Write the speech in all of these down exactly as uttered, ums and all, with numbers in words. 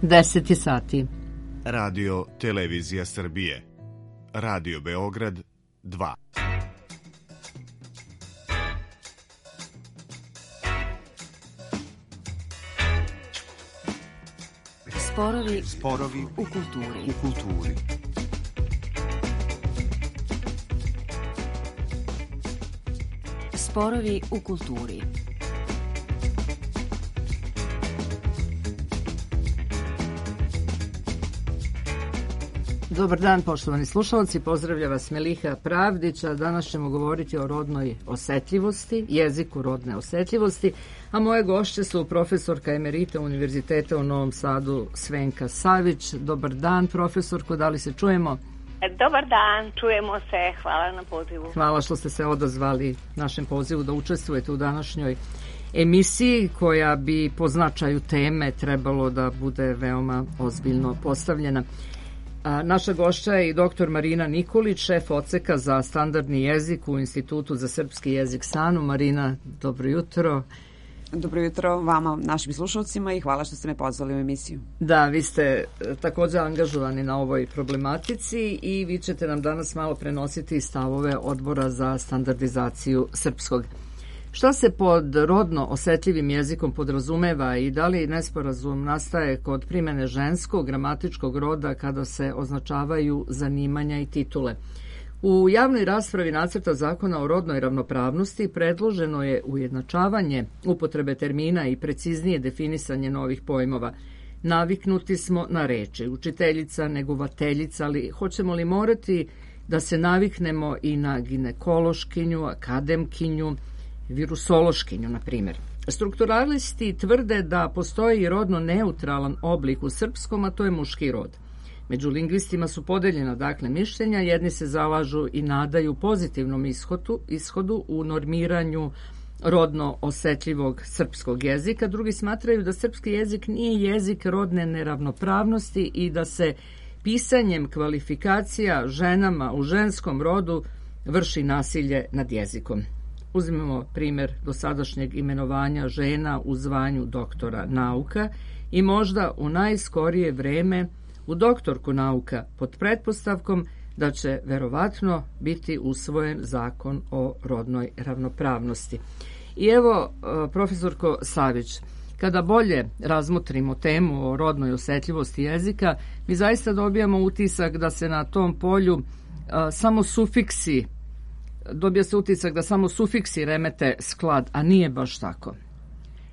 deset je sati. Radio Televizija Srbije. Radio Beograd dva. Sporovi, Sporovi u kulturi. U kulturi. Sporovi u kulturi. Dobar dan, poštovani slušalci, pozdravlja vas Meliha Pravdić, a danas ćemo govoriti o rodnoj osetljivosti, jeziku rodne osetljivosti, a moje gošće su profesorka emerita Univerziteta u Novom Sadu Svenka Savić. Dobar dan, profesorko, da li se čujemo? Dobar dan, čujemo se, hvala na pozivu. Hvala što ste se odazvali našem pozivu da učestvujete u današnjoj emisiji koja bi po značaju teme trebalo da bude veoma ozbiljno postavljena. A naša gošća je i doktor Marina Nikolić, šef odseka za standardni jezik u Institutu za srpski jezik S A N U. Marina, dobro jutro. Dobro jutro vama, našim slušalcima, i hvala što ste me pozvali u emisiju. Da, vi ste također angažovani na ovoj problematici i vi ćete nam danas malo prenositi stavove Odbora za standardizaciju srpskog. Šta se pod rodno osetljivim jezikom podrazumeva i da li nesporazum nastaje kod primene ženskog gramatičkog roda kada se označavaju zanimanja i titule? U javnoj raspravi nacrta zakona o rodnoj ravnopravnosti predloženo je ujednačavanje upotrebe termina i preciznije definisanje novih pojmova. Naviknuti smo na reči učiteljica, negovateljica, ali hoćemo li morati da se naviknemo i na ginekološkinju, akademkinju, virusološkinju, na primjer. Strukturalisti tvrde da postoji rodno neutralan oblik u srpskom, a to je muški rod. Među lingvistima su podeljena dakle mišljenja, jedni se zalažu i nadaju pozitivnom ishodu, ishodu u normiranju rodno osetljivog srpskog jezika, drugi smatraju da srpski jezik nije jezik rodne neravnopravnosti i da se pisanjem kvalifikacija ženama u ženskom rodu vrši nasilje nad jezikom. Uzmemo primjer dosadašnjeg imenovanja žena u zvanju doktora nauka i možda u najskorije vreme u doktorku nauka pod pretpostavkom da će verovatno biti usvojen zakon o rodnoj ravnopravnosti. I evo, profesorko Savić, kada bolje razmotrimo temu o rodnoj osetljivosti jezika, mi zaista dobijamo utisak da se na tom polju a, samo sufiksi dobija se utisak da samo sufiksi remete sklad, a nije baš tako.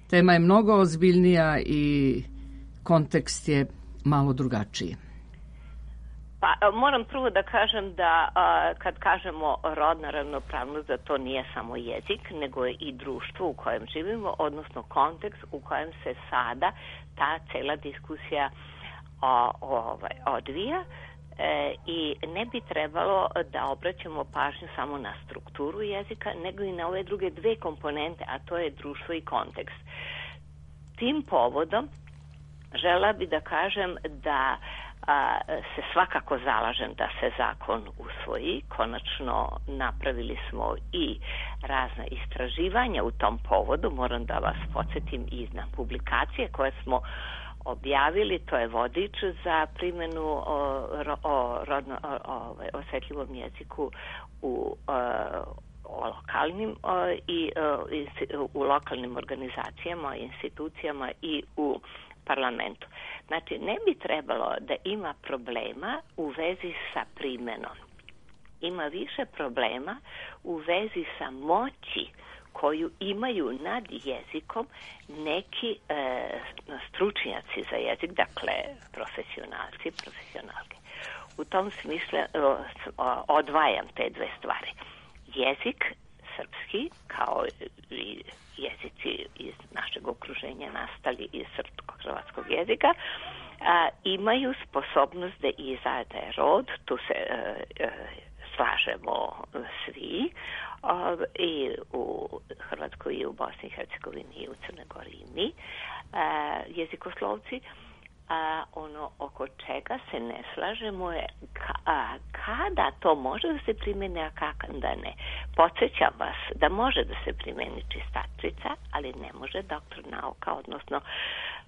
Tema je mnogo ozbiljnija i kontekst je malo drugačiji. Pa, moram prvo da kažem da a, kad kažemo rodna ravnopravnost, da to nije samo jezik, nego je i društvo u kojem živimo, odnosno kontekst u kojem se sada ta cela diskusija o, ovaj, odvija. E, i ne bi trebalo da obraćamo pažnju samo na strukturu jezika, nego i na ove druge dve komponente, a to je društvo i kontekst. Tim povodom žela bi da kažem da a, se svakako zalažem da se zakon usvoji. Konačno napravili smo i razna istraživanja u tom povodu. Moram da vas podsjetim i na publikacije koje smo objavili, to je vodič za primjenu o, o rodno o, o, osetljivom jeziku u o, o lokalnim o, i o, u lokalnim organizacijama, institucijama i u parlamentu. Znači, ne bi trebalo da ima problema u vezi sa primjenom. Ima više problema u vezi sa moći koju imaju nad jezikom neki e, stručnjaci za jezik, dakle profesionalci, profesionalke. U tom smislu o, odvajam te dve stvari. Jezik srpski, kao i jezici iz našeg okruženja nastali iz srpsko-hrvatskog jezika, a, imaju sposobnost da izrade rod, tu se e, e, slažemo svi, i u Hrvatskoj i u Bosni i Hercegovini i u Crnoj Gori i mi, jezikoslovci. A ono oko čega se ne slažemo je ka, kada to može da se primene, a kada ne. Podsjećam vas da može da se primeni čistačica, ali ne može doktor nauka, odnosno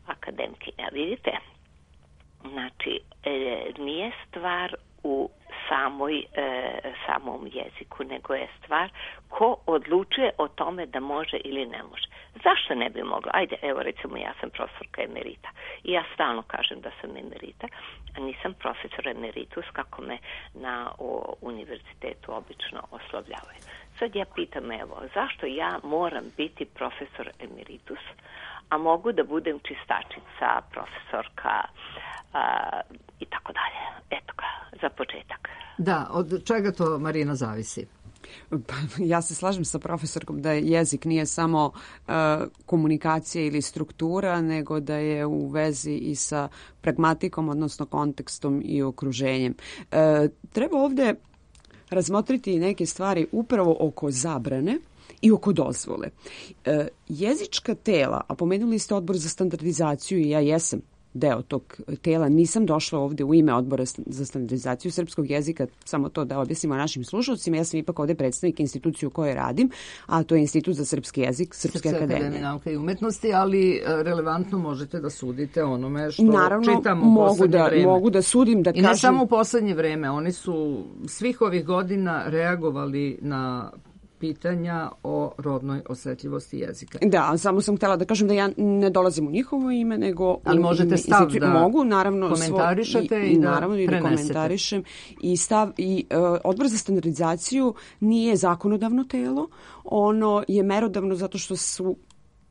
akademkinja. Vidite, stvar u samoj, e, samom jeziku, nego je stvar ko odlučuje o tome da može ili ne može. Zašto ne bi mogla? Ajde, evo recimo ja sam profesorka emerita i ja stalno kažem da sam emerita, a nisam profesor emeritus kako me na o, univerzitetu obično oslovljavaju. Sad ja pitam, evo, zašto ja moram biti profesor emeritus, a mogu da budem čistačica, profesorka a, i tako dalje. Eto ga, za početak. Da, od čega to, Marina, zavisi? Ja se slažem sa profesorkom da jezik nije samo uh, komunikacija ili struktura, nego da je u vezi i sa pragmatikom, odnosno kontekstom i okruženjem. Uh, treba ovde razmotriti neke stvari upravo oko zabrane i oko dozvole. E, jezička tela, a pomenuli ste Odbor za standardizaciju i ja jesam deo tog tela, nisam došla ovde u ime Odbora za standardizaciju srpskog jezika, samo to da objasnimo našim slušalcima, ja sam ipak ovde predstavnik institucije u kojoj radim, a to je Institut za srpski jezik Srpske, Srpske akademije. akademije nauka i umetnosti, ali relevantno možete da sudite onome što Naravno, čitamo u mogu poslednje da, vreme. mogu da sudim, da I kažem... ne samo u poslednje vreme, oni su svih ovih godina reagovali na pitanja o rodnoj osetljivosti jezika. Da, samo sam htjela da kažem da ja ne dolazim u njihovo ime, nego... Ali možete stav da mogu, naravno, komentarišete svo, i, i da naravno, i da komentarišem. I stav, i uh, Odbor za standardizaciju nije zakonodavno telo, ono je merodavno zato što su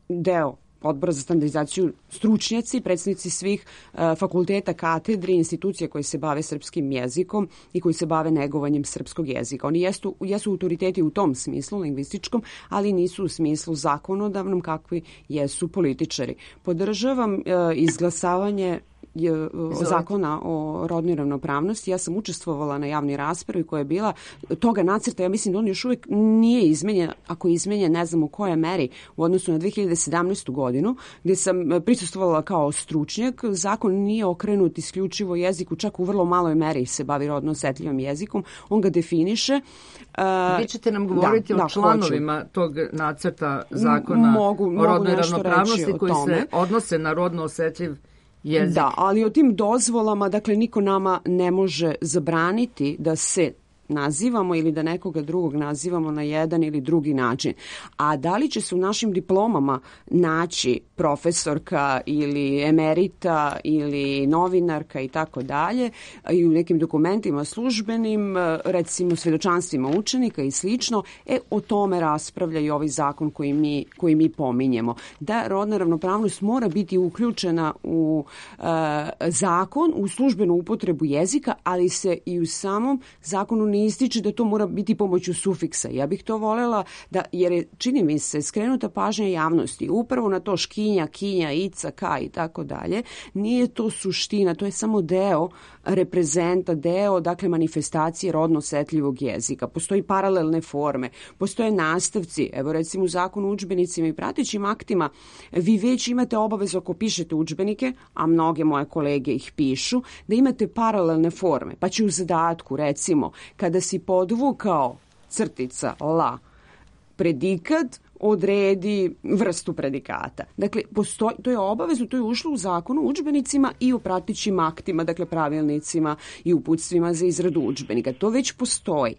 deo Odbora za standardizaciju stručnjaci, predstavnici svih uh, fakulteta, katedri, institucija koji se bave srpskim jezikom i koji se bave negovanjem srpskog jezika. Oni jesu, jesu autoriteti u tom smislu, lingvističkom, ali nisu u smislu zakonodavnom kakvi jesu političari. Podržavam uh, izglasavanje je, zakona o rodnoj ravnopravnosti. Ja sam učestvovala na javnoj raspravi koja je bila toga nacrta. Ja mislim da on još uvijek nije izmenjen, ako je izmenjen ne znam u kojoj meri u odnosu na dve hiljade sedamnaestu godinu, gdje sam prisustvovala kao stručnjak. Zakon nije okrenut isključivo jeziku, čak u vrlo maloj meri se bavi rodno osetljivim jezikom. On ga definiše. Vi ćete nam govoriti da, o da, članovima hoću. tog nacrta zakona mogu, o rodnoj mogu ravnopravnosti koji tome. se odnose na rodno osetljiv jezik. Da, ali o tim dozvolama, dakle, niko nama ne može zabraniti da se nazivamo ili da nekoga drugog nazivamo na jedan ili drugi način. A da li će se u našim diplomama naći profesorka ili emerita ili novinarka i tako dalje i u nekim dokumentima službenim, recimo svedočanstvima učenika i slično, e o tome raspravlja i ovaj zakon koji mi, koji mi pominjemo. Da rodna ravnopravnost mora biti uključena u uh, zakon, u službenu upotrebu jezika, ali se i u samom zakonu ne ističe da to mora biti pomoću sufiksa. Ja bih to voljela da, jer je, čini mi se, skrenuta pažnja javnosti upravo na to škinja, kinja, ica, ka i tako dalje. Nije to suština, to je samo deo reprezenta, deo, dakle, manifestacije rodno osetljivog jezika. Postoji paralelne forme, postoje nastavci. Evo, recimo, u zakonu o udžbenicima i pratećim aktima vi već imate obavezu ako pišete udžbenike, a mnoge moje kolege ih pišu, da imate paralelne forme. Pa će u zadatku, recimo, kada si podvukao crtica la predikat, odredi vrstu predikata. Dakle, postoji, to je obavezno, to je ušlo u zakonu o udžbenicima i u pratećim aktima, dakle pravilnicima i uputstvima za izradu udžbenika. To već postoji.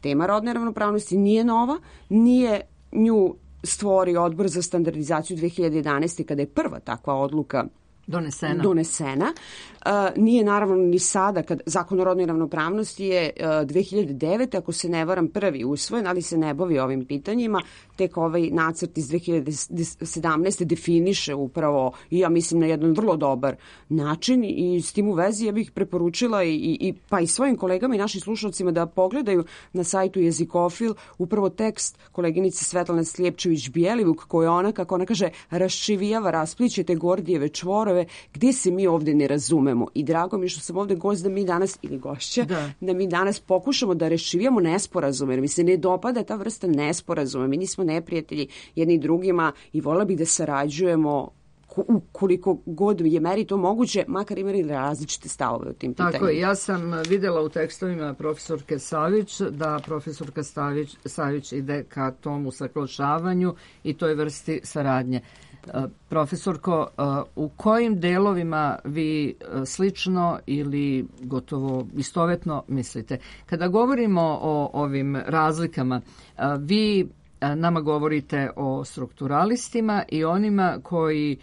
Tema rodne ravnopravnosti nije nova, nije nju stvorio Odbor za standardizaciju dve hiljade jedanaeste. kada je prva takva odluka Donesena. Donesena. Uh, nije naravno ni sada, kad zakon o rodnoj ravnopravnosti je uh, dve hiljade devete. ako se ne varam, prvi usvojen, ali se ne bavi ovim pitanjima. Tek ovaj nacrt iz dve hiljade sedamnaeste. definiše upravo, i ja mislim na jedan vrlo dobar način, i s tim u vezi ja bih preporučila i, i, pa i svojim kolegama i našim slušalcima da pogledaju na sajtu Jezikofil upravo tekst koleginice Svetlane Slijepčević-Bjelivuk, koja ona, kako ona kaže, raščivijava, raspliće te Gordijeve čvorove, gdje se mi ovdje ne razumemo. I drago mi što sam ovdje gost da mi danas, ili gošća, da, da mi danas pokušamo da rešivijamo nesporazume, jer mi se ne dopada ta vrsta nesporazuma. Mi nismo neprijatelji jedni drugima i voljela bih da sarađujemo koliko god je meri to moguće, makar imali različite stavove u tim pitanjima. Tako je, ja sam vidjela u tekstovima profesorke Savić da profesorka Savić, Savić ide ka tom usaglašavanju i toj vrsti saradnje. Profesorko, u kojim delovima vi slično ili gotovo istovetno mislite? Kada govorimo o ovim razlikama, vi nama govorite o strukturalistima i onima koji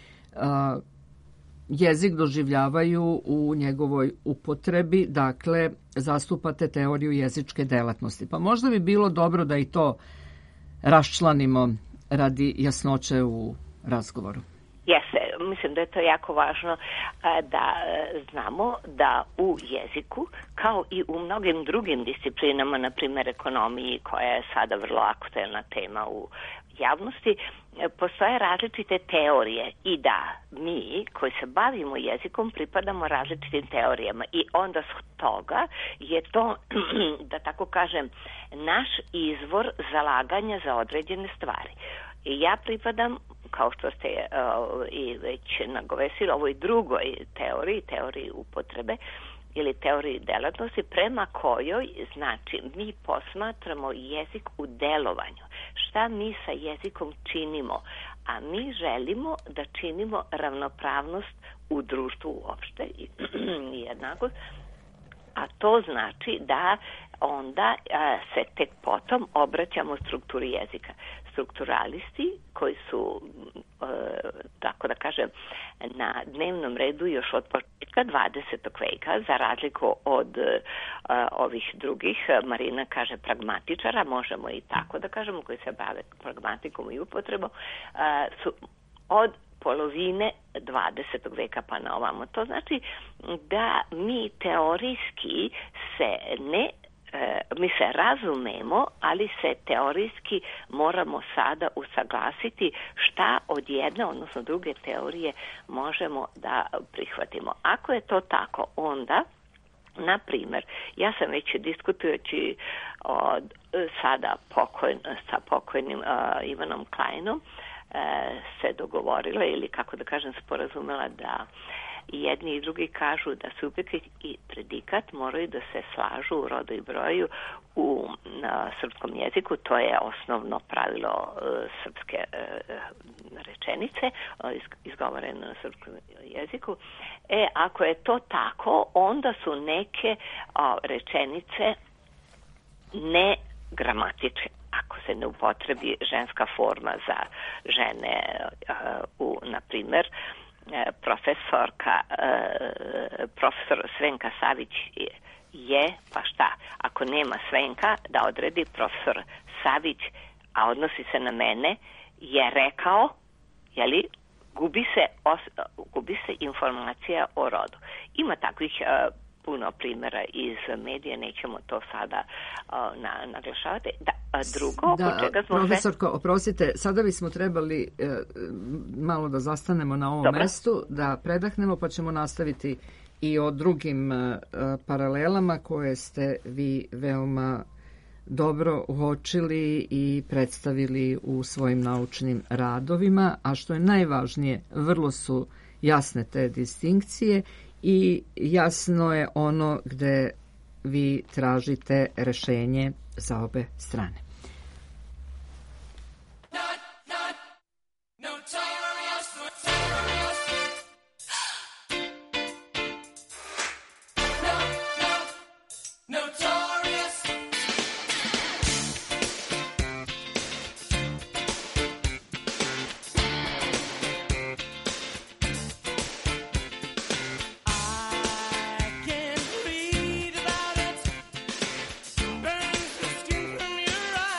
jezik doživljavaju u njegovoj upotrebi, dakle, zastupate teoriju jezičke delatnosti. Pa možda bi bilo dobro da i to raščlanimo radi jasnoće u razgovoru. Jeste, mislim da je to jako važno da znamo da u jeziku, kao i u mnogim drugim disciplinama, na primjer ekonomiji, koja je sada vrlo aktuelna tema u javnosti, postoje različite teorije i da mi koji se bavimo jezikom pripadamo različitim teorijama i onda s toga je to, da tako kažem, naš izvor zalaganja za određene stvari. I ja pripadam, kao što ste uh, i već nagovesili, ovoj drugoj teoriji, teoriji upotrebe ili teoriji delatnosti, prema kojoj, znači, mi posmatramo jezik u delovanju. Šta mi sa jezikom činimo? A mi želimo da činimo ravnopravnost u društvu uopšte i jednakost, a to znači da onda a, se tek potom obraćamo strukturi jezika. Strukturalisti koji su, e, tako da kažem, na dnevnom redu još od početka dvadesetog veka, za razliku od e, ovih drugih, Marina kaže pragmatičara, možemo i tako da kažemo, koji se bave pragmatikom i upotrebom, e, su od polovine dvadesetog veka pa na ovamo. To znači da mi teorijski se ne mi se razumemo, ali se teorijski moramo sada usaglasiti šta od jedne, odnosno druge teorije možemo da prihvatimo. Ako je to tako, onda, na primjer, ja sam već diskutujući od, sada pokojn, sa pokojnim uh, Ivanom Kleinom uh, se dogovorila ili, kako da kažem, sporazumela da i jedni i drugi kažu da subjekt i predikat moraju da se slažu u rodu i broju u na, srpskom jeziku. To je osnovno pravilo uh, srpske uh, rečenice, uh, izgovoreno na srpskom jeziku. E, ako je to tako, onda su neke uh, rečenice ne gramatičke. Ako se ne upotrebi ženska forma za žene, uh, u, na primjer, profesorka, profesor Svenka Savić je, pa šta? Ako nema Svenka, da odredi profesor Savić, a odnosi se na mene, je rekao, jeli, gubi se, os, gubi se informacija o rodu. Ima takvih uh, puno primjera iz medija, nećemo to sada uh, na, naglašavati. Da, drugo, da, čega smo profesorko, sve... oprostite, sada bismo trebali e, malo da zastanemo na ovom Dobre. mestu, da predahnemo, pa ćemo nastaviti i o drugim e, paralelama koje ste vi veoma dobro uočili i predstavili u svojim naučnim radovima, a što je najvažnije, vrlo su jasne te distinkcije i jasno je ono gde vi tražite rešenje za obe strane. I can read about it. Burns the skin from your eyes.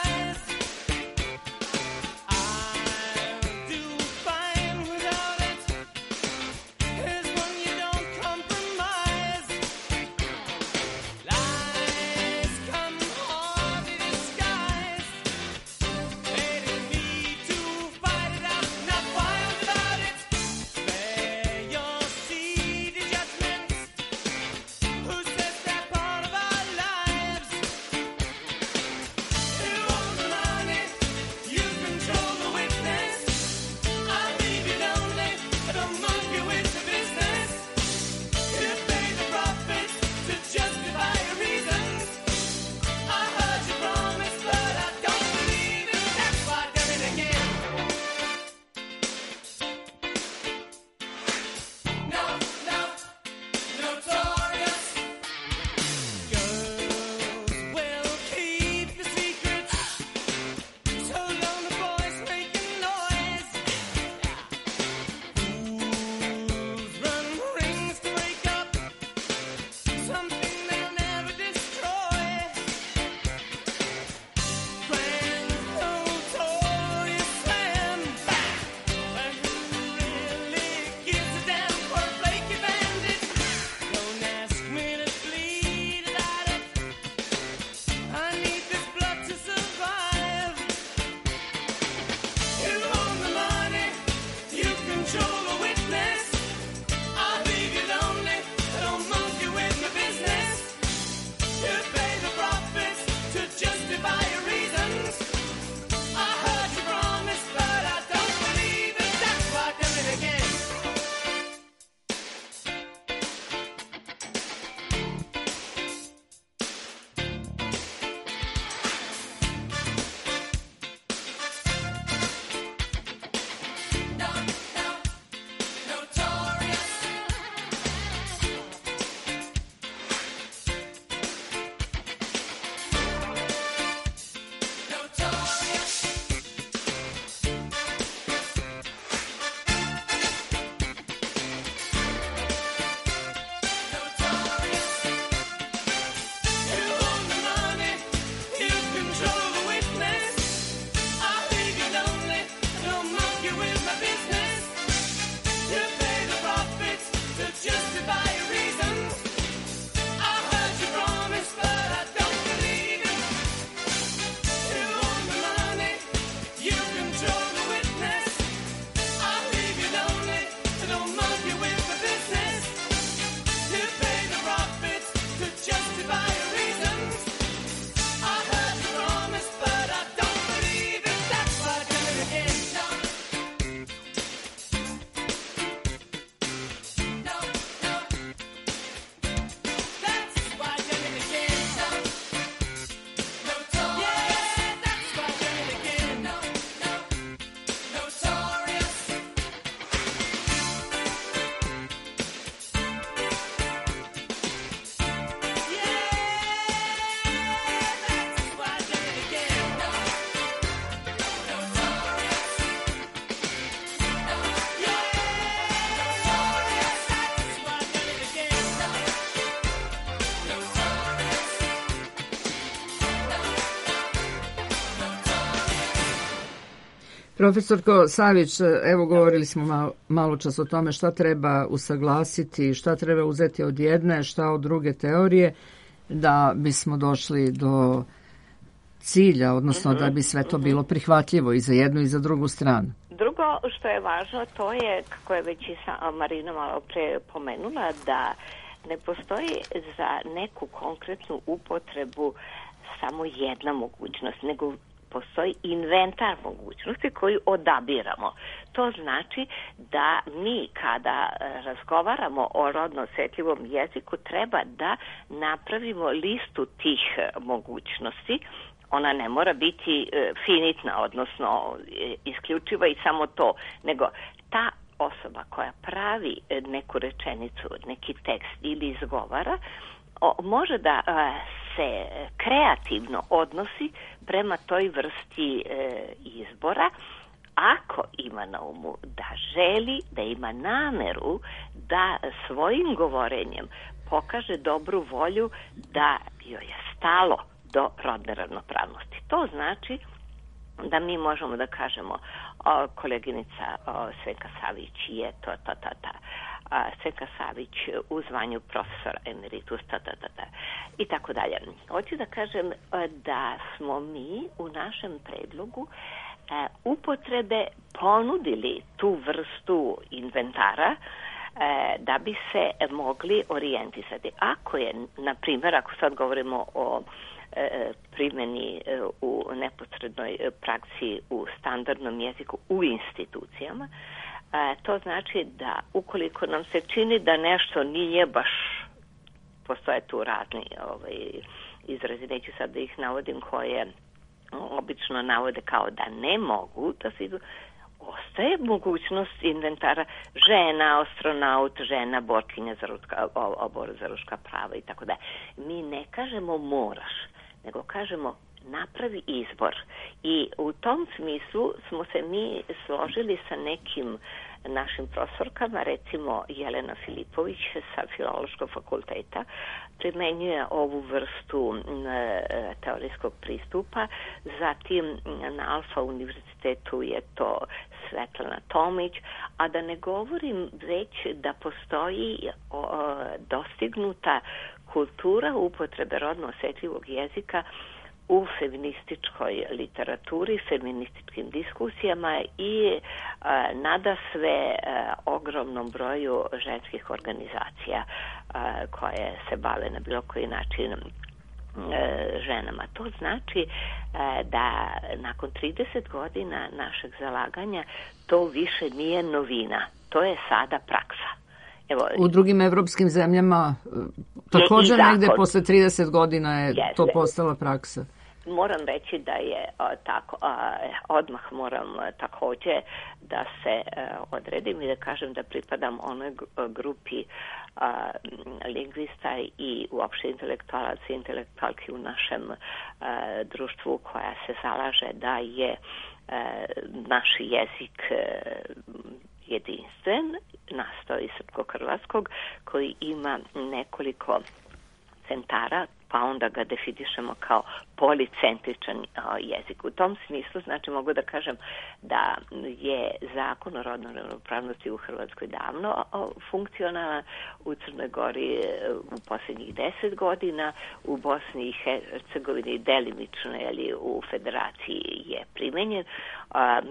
Profesorko Savić, evo govorili smo malo, malo čas o tome šta treba usaglasiti, šta treba uzeti od jedne, šta od druge teorije, da bismo došli do cilja, odnosno mm-hmm. da bi sve to bilo prihvatljivo i za jednu i za drugu stranu. Drugo što je važno, to je, kako je već i Marina malo pre pomenula, da ne postoji za neku konkretnu upotrebu samo jedna mogućnost, nego postoji inventar mogućnosti koju odabiramo. To znači da mi kada razgovaramo o rodno osetljivom jeziku treba da napravimo listu tih mogućnosti. Ona ne mora biti finitna, odnosno isključiva i samo to, nego ta osoba koja pravi neku rečenicu, neki tekst ili izgovara, može da se kreativno odnosi prema toj vrsti izbora, ako ima na umu da želi, da ima nameru da svojim govorenjem pokaže dobru volju da joj je stalo do rodne ravnopravnosti. To znači da mi možemo da kažemo o, koleginica o, Svenka Savić je to, to, to, to. A, Svenka Savić u zvanju profesora emeritus, ta, ta, ta, ta, i tako dalje. Hoću da kažem da smo mi u našem predlogu e, upotrebe ponudili tu vrstu inventara e, da bi se mogli orijentisati. Ako je, na primjer, ako sad govorimo o primjeni u neposrednoj praksi u standardnom jeziku u institucijama, to znači da ukoliko nam se čini da nešto nije baš, postoje tu razni ovaj, izrazi, neću sad da ih navodim, koje obično navode kao da ne mogu da se idu, ostaje mogućnost inventara žena, astronaut, žena, borkinja za ruska, obor za ruška prava i tako da. Mi ne kažemo moraš, nego kažemo napravi izbor. I u tom smislu smo se mi složili sa nekim našim profesorkama, recimo Jelena Filipović sa Filološkog fakulteta, primenjuje ovu vrstu e, teorijskog pristupa, zatim na Alfa univerzitetu je to Svetlana Tomić, a da ne govorim već da postoji o, dostignuta kultura upotrebe rodno osetljivog jezika u feminističkoj literaturi, feminističkim diskusijama i a, nada sve a, ogromnom broju ženskih organizacija a, koje se bave na bilo koji način ženama. To znači da nakon trideset godina našeg zalaganja to više nije novina. To je sada praksa. Evo, u drugim evropskim zemljama također negde posle trideset godina je jeste. To postala praksa. Moram reći da je a, tako, a, odmah moram a, također da se a, odredim i da kažem da pripadam onoj grupi a, lingvista i uopšte intelektualaca i intelektualki u našem a, društvu koja se zalaže da je a, naš jezik a, jedinstven, nastao iz srpsko-hrvatskog, koji ima nekoliko centara, pa onda ga definišemo kao policentričan jezik. U tom smislu, znači, mogu da kažem da je zakon o rodnoj ravnopravnosti u Hrvatskoj davno funkcionalan, u Crnoj Gori u posljednjih deset godina, u Bosni i Hercegovini delimično, ali u Federaciji je primenjen.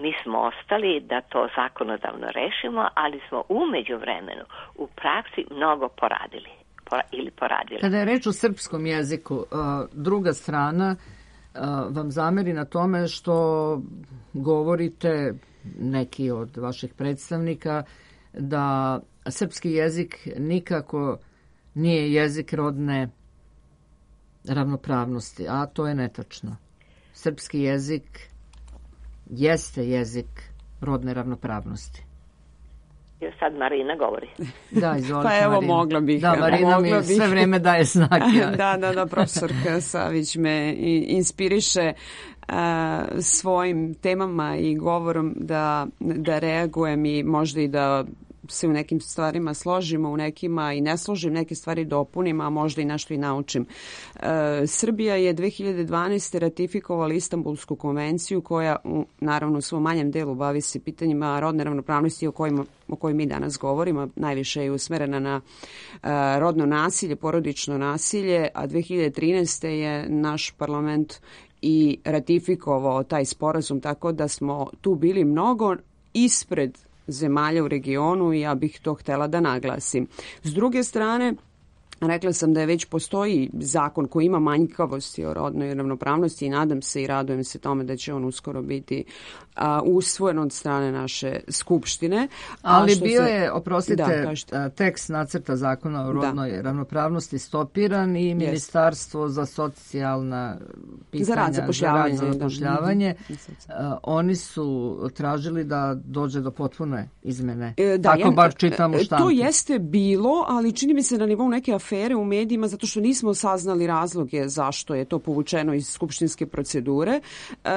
Mi smo ostali da to zakonodavno rešimo, ali smo u međuvremenu u praksi mnogo poradili. Ili poradili. Kada je reč o srpskom jeziku, druga strana vam zameri na tome što govorite, neki od vaših predstavnika, da srpski jezik nikako nije jezik rodne ravnopravnosti, a to je netačno. Srpski jezik jeste jezik rodne ravnopravnosti. Sad Marina govori. Da, izvolite, pa evo, Marina. mogla bih. Da, Marina mi bih. Sve vreme daje znak. Ja. da, da, da, profesorka Savić me inspiriše uh, svojim temama i govorom da, da reagujem i možda i da se u nekim stvarima složimo, u nekima i ne složim, neke stvari dopunim, a možda i nešto i naučim. E, Srbija je dve hiljade dvanaeste. ratifikovala Istanbulsku konvenciju koja u, naravno u svom manjem delu bavi se pitanjima rodne ravnopravnosti o kojima o kojoj mi danas govorimo, najviše je usmerena na uh, rodno nasilje, porodično nasilje, a dve hiljade trinaeste. je naš parlament i ratifikovao taj sporazum, tako da smo tu bili mnogo ispred zemalja u regionu i ja bih to htela da naglasim. S druge strane, rekla sam da je već postoji zakon koji ima manjkavosti o rodnoj ravnopravnosti i nadam se i radujem se tome da će on uskoro biti a, usvojen od strane naše skupštine. Ali bio se... je, oprostite, da, tekst nacrta zakona o rodnoj da. ravnopravnosti stopiran i Ministarstvo yes. za socijalna pitanja, za rad, zapošljavanje, za rad, zapošljavanje da. oni su tražili da dođe do potpune izmene. E, da, Tako ja, bar čitam u štampi. To jeste bilo, ali čini mi se na nivou neke afere u medijima zato što nismo saznali razloge zašto je to povučeno iz skupštinske procedure e,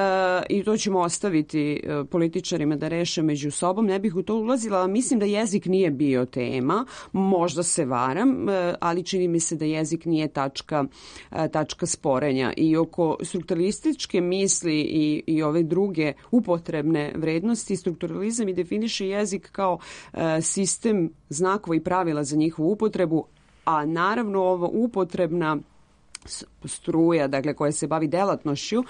i to ćemo ostaviti političarima da reše među sobom. Ne bih u to ulazila, mislim da jezik nije bio tema, možda se varam, ali čini mi se da jezik nije tačka, tačka sporenja. I oko strukturalističke misli i, i ove druge upotrebne vrednosti, strukturalizam i definiše jezik kao sistem znakova i pravila za njihovu upotrebu, a naravno ova upotrebna struja, dakle, koja se bavi delatnošću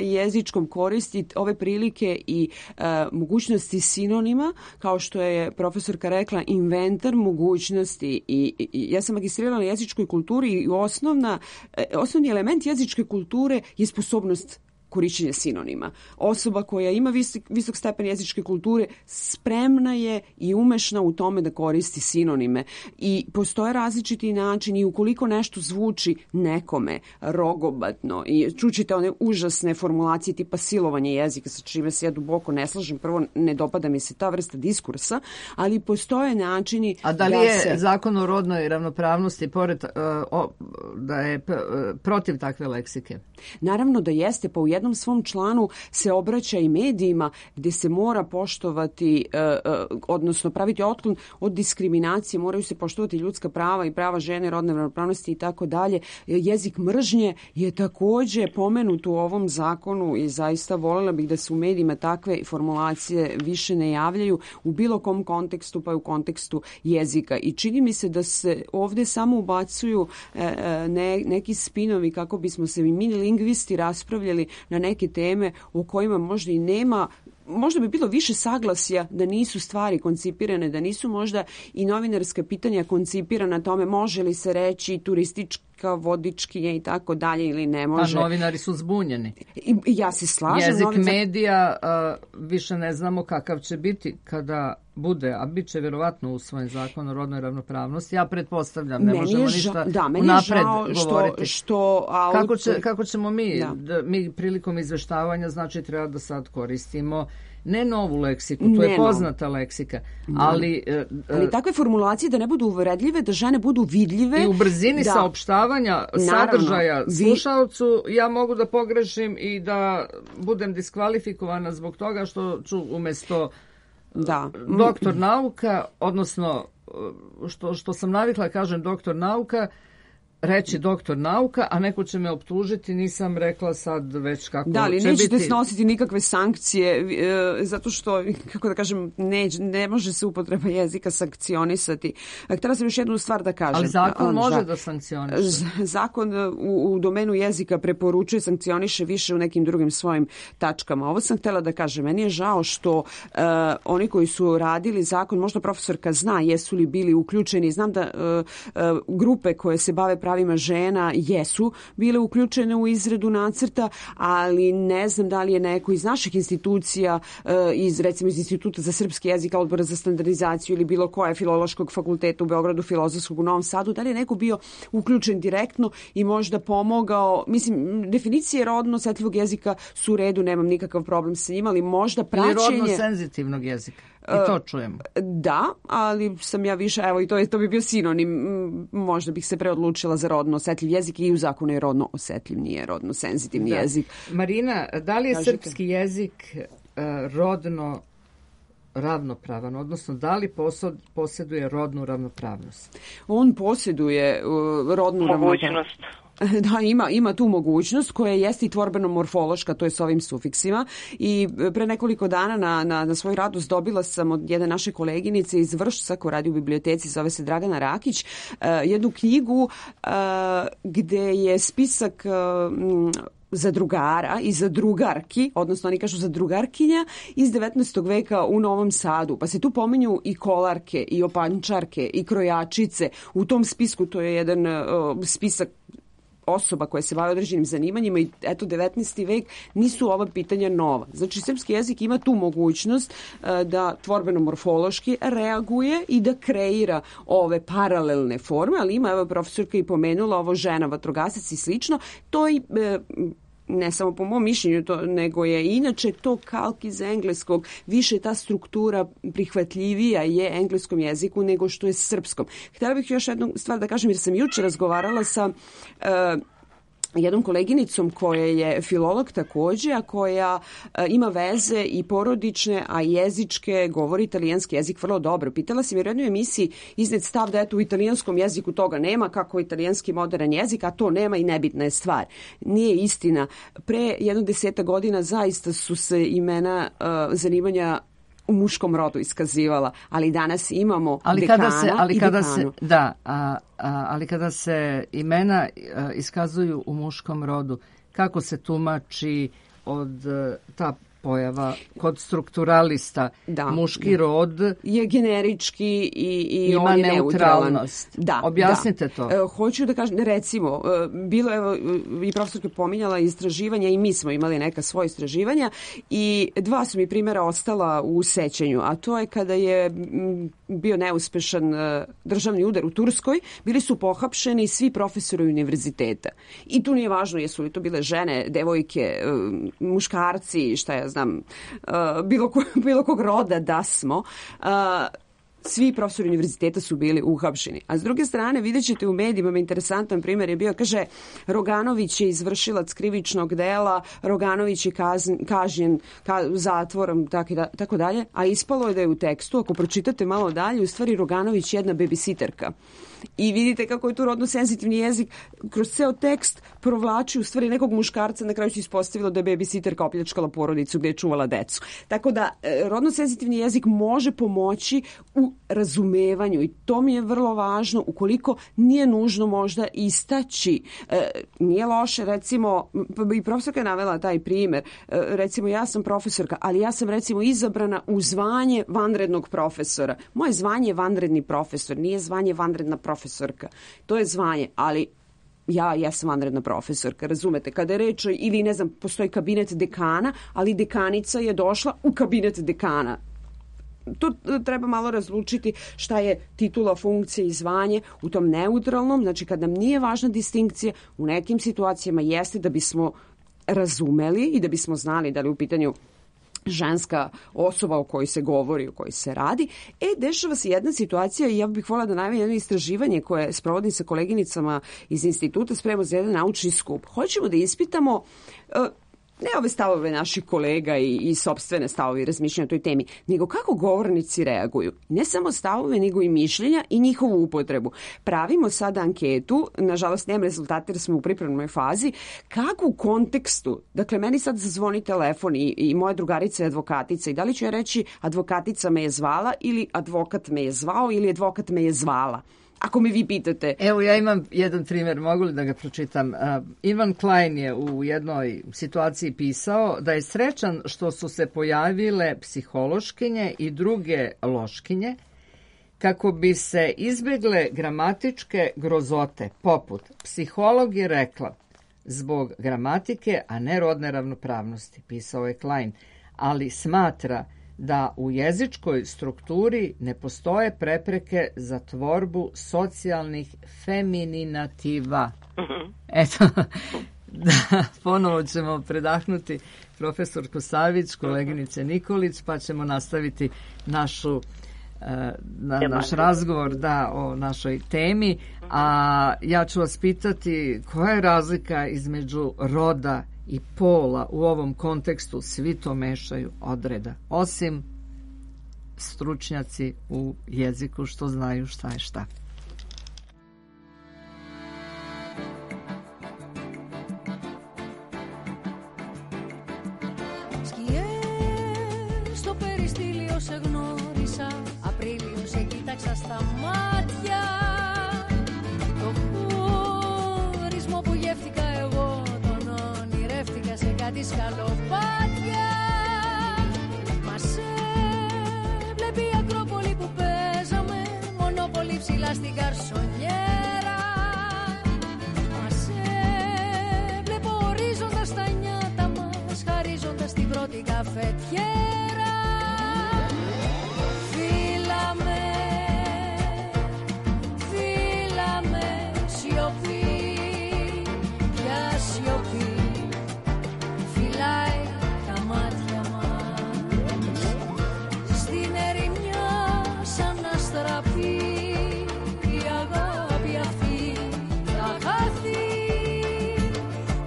jezičkom, koristi ove prilike i e, mogućnosti sinonima, kao što je profesorka rekla, inventar mogućnosti. I, i ja sam magistrirala na jezičkoj kulturi i osnovna, e, osnovni element jezičke kulture je sposobnost korišćenja sinonima. Osoba koja ima visok, visok stepen jezičke kulture spremna je i umešna u tome da koristi sinonime. I postoje različiti načini i ukoliko nešto zvuči nekome rogobatno i čućete one užasne formulacije tipa silovanje jezika, sa čime se ja duboko ne slažem. Prvo, ne dopada mi se ta vrsta diskursa, ali postoje načini. A da li da je se... zakon o rodnoj ravnopravnosti pored, uh, o, da je p, uh, protiv takve leksike? Naravno da jeste, pa u jednom svom članu se obraća i medijima gdje se mora poštovati, uh, uh, odnosno praviti otklon od diskriminacije, moraju se poštovati ljudska prava i prava žene, rodne ravnopravnosti i tako dalje. Jezik mržnje je također pomenut u ovom zakonu i zaista voljela bih da se u medijima takve formulacije više ne javljaju u bilo kom kontekstu, pa i u kontekstu jezika. I čini mi se da se ovdje samo ubacuju uh, ne, neki spinovi kako bismo se i mi lingvisti raspravljali na neke teme o kojima možda i nema, možda bi bilo više saglasja da nisu stvari koncipirane, da nisu možda i novinarska pitanja koncipirana tome može li se reći turistička, vodičkinja i tako dalje ili ne može. A novinari su zbunjeni. I, ja se slažem. Jezik novinar... medija uh, više ne znamo kakav će biti kada bude, a bit će vjerovatno usvojen zakon o rodnoj ravnopravnosti. Ja pretpostavljam, ne meni možemo ža... ništa da, unapred što, govoriti. Što, a kako, će, kako ćemo mi, da. Da, mi prilikom izveštavanja, znači treba da sad koristimo ne novu leksiku, to ne je poznata novu. leksika, ali... Uh, ali takve formulacije da ne budu uvredljive, da žene budu vidljive. I u brzini da. saopštavanja sadržaja vi... slušaocu ja mogu da pogrešim i da budem diskvalifikovana zbog toga što ću umjesto da. doktor nauka, odnosno što, što sam navikla kažem doktor nauka, reći doktor nauka, a neko će me optužiti, nisam rekla sad već kako da, ali će nećete biti. snositi nikakve sankcije, e, zato što, kako da kažem, ne, ne može se upotreba jezika sankcionisati. Htjela sam još jednu stvar da kažem. Ali zakon On, može da, da sankcioniše. Zakon u, u domenu jezika preporučuje, sankcioniše više u nekim drugim svojim tačkama. Ovo sam htjela da kažem. Meni je žao što e, oni koji su radili zakon, možda profesorka zna jesu li bili uključeni. Znam da e, e, grupe koje se bave pravima žena jesu bile uključene u izradu nacrta, ali ne znam da li je neko iz naših institucija, iz recimo iz Instituta za srpski jezik, Odbora za standardizaciju ili bilo koje Filološkog fakulteta u Beogradu, Filozofskog u Novom Sadu, da li je neko bio uključen direktno i možda pomogao. Mislim, definicije rodno osetljivog jezika su u redu, nemam nikakav problem sa njima, ali možda praćenje... Ili rodno senzitivnog jezika. I to čujemo. Da, ali sam ja više, evo i to, je, to bi bio sinonim, možda bih se preodlučila za rodno osetljiv jezik i u zakonu je rodno osetljiv, nije rodno senzitivni da. jezik. Marina, da li je Kažete? Srpski jezik uh, rodno ravnopravan, odnosno da li posod, posjeduje rodnu ravnopravnost? On posjeduje uh, rodnu ravnopravnost. Da, ima, ima tu mogućnost koja jeste i tvorbeno-morfološka, to je s ovim sufiksima. I pre nekoliko dana na, na, na svoj radost dobila sam od jedne naše koleginice iz Vršca koja radi u biblioteci, zove se Dragana Rakić, uh, jednu knjigu uh, gde je spisak uh, zadrugara i zadrugarki, odnosno oni kažu zadrugarkinja iz devetnaestog veka u Novom Sadu. Pa se tu pominju i kolarke, i opančarke, i krojačice. U tom spisku to je jedan uh, spisak osoba koje se bave određenim zanimanjima i eto devetnaesti vek nisu ova pitanja nova. Znači srpski jezik ima tu mogućnost uh, da tvorbeno-morfološki reaguje i da kreira ove paralelne forme, ali ima, evo profesorka i pomenula ovo žena, vatrogasac i slično, to i uh, ne samo po mom mišljenju, to, nego je inače to kalk iz engleskog, više ta struktura prihvatljivija je engleskom jeziku nego što je srpskom. Htjela bih još jednu stvar da kažem, jer sam juče razgovarala sa uh, jednom koleginicom koja je filolog takođe, a koja a, ima veze i porodične, a jezičke, govori italijanski jezik vrlo dobro. Pitala sam jer u jednoj emisiji iznet stav da eto u italijanskom jeziku toga nema, kako je italijanski modern jezik, a to nema i nebitna je stvar. Nije istina. Pre jedno deseta godina zaista su se imena a, zanimanja u muškom rodu iskazivala, ali danas imamo ali dekana kada se, ali i kada dekanu. Se, da, a, a, ali kada se imena a, iskazuju u muškom rodu, kako se tumači od a, ta pojava kod strukturalista? Da, muški da. Rod je generički i, i ima on je neutralnost. Da, objasnite da. to. E, hoću da kažem, recimo, bilo evo i profesorka pominjala istraživanja i mi smo imali neka svoja istraživanja i dva su mi primjera ostala u sećanju, a to je kada je bio neuspešan državni udar u Turskoj, bili su pohapšeni svi profesori univerziteta. I tu nije važno jesu li to bile žene, devojke, muškarci, šta ja znam, bilo, ko, bilo kog roda da smo, svi profesori univerziteta su bili uhapšeni. A s druge strane, vidjet ćete u medijima, interesantan primjer je bio, kaže, Roganović je izvršilac krivičnog dela, Roganović je kazn, kažnjen ka, zatvorom, tako, da, tako dalje, a ispalo je da je u tekstu, ako pročitate malo dalje, u stvari Roganović je jedna babysitterka. I vidite kako je tu rodno senzitivni jezik kroz ceo tekst provlači u stvari nekog muškarca, na kraju se ispostavilo da je babysitterka opljačkala porodicu gde je čuvala decu. Tako da rodno senzitivni jezik može pomoći u razumevanju i to mi je vrlo važno ukoliko nije nužno možda istaći. E, nije loše, recimo, i profesorka je navela taj primer, e, recimo ja sam profesorka, ali ja sam recimo izabrana u zvanje vanrednog profesora. Moje zvanje je vanredni profesor, nije zvanje vanredna profesorka. To je zvanje, ali ja, ja sam vanredna profesorka, razumete? Kada je reč, ili ne znam, postoji kabinet dekana, ali dekanica je došla u kabinet dekana. To treba malo razlučiti šta je titula, funkcija i zvanje u tom neutralnom, znači kad nam nije važna distinkcija, u nekim situacijama jeste da bismo razumeli i da bismo znali da li u pitanju ženska osoba o kojoj se govori, o kojoj se radi. E, dešava se jedna situacija i ja bih voljela da najavim jedno istraživanje koje sprovodim sa koleginicama iz instituta, spremamo za jedan naučni skup. Hoćemo da ispitamo uh, ne ove stavove naših kolega i, i sopstvene stavove i razmišljanja o toj temi, nego kako govornici reaguju. Ne samo stavove, nego i mišljenja i njihovu upotrebu. Pravimo sada anketu, nažalost nemam rezultate jer smo u pripremnoj fazi, kako u kontekstu, dakle meni sad zazvoni telefon i, i moja drugarica je advokatica i da li ću ja reći advokatica me je zvala ili advokat me je zvao ili advokat me je zvala. Ako me vi pitate. Evo, ja imam jedan primjer, mogu li da ga pročitam? Uh, Ivan Klein je u jednoj situaciji pisao da je srećan što su se pojavile psihološkinje i druge loškinje kako bi se izbjegle gramatičke grozote, poput psiholog je rekla zbog gramatike, a ne rodne ravnopravnosti, pisao je Klein, ali smatra da u jezičkoj strukturi ne postoje prepreke za tvorbu socijalnih femininativa. Eto, da, ponovo ćemo predahnuti profesorku Savić, koleginice Nikolić, pa ćemo nastaviti našu na naš razgovor da, o našoj temi. A ja ću vas pitati koja je razlika između roda i pola u ovom kontekstu, svi to mešaju odreda. Osim stručnjaci u jeziku što znaju šta je šta. Στο περιστήλιο σε γνώρισα, Απρίλιο σε κοίταξα στα μάτια. Το χωρισμό που γεύτηκα εγώ, τον ονειρεύτηκα σε κάτι σκαλοπάτια. Μας έβλεπε η Ακρόπολη που παίζαμε, μονόπολη ψηλά στην καρσονιέρα. Μας έβλεπε ο ορίζοντας τα νιάτα μας, χαρίζοντας την πρώτη καφετιέρα. Φύλαμε, φύλαμε, σιωπή, πια σιωπή, φυλάει τα μάτια μας. Στην ερημιά σαν να στραπεί η αγάπη αυτή θα χαθεί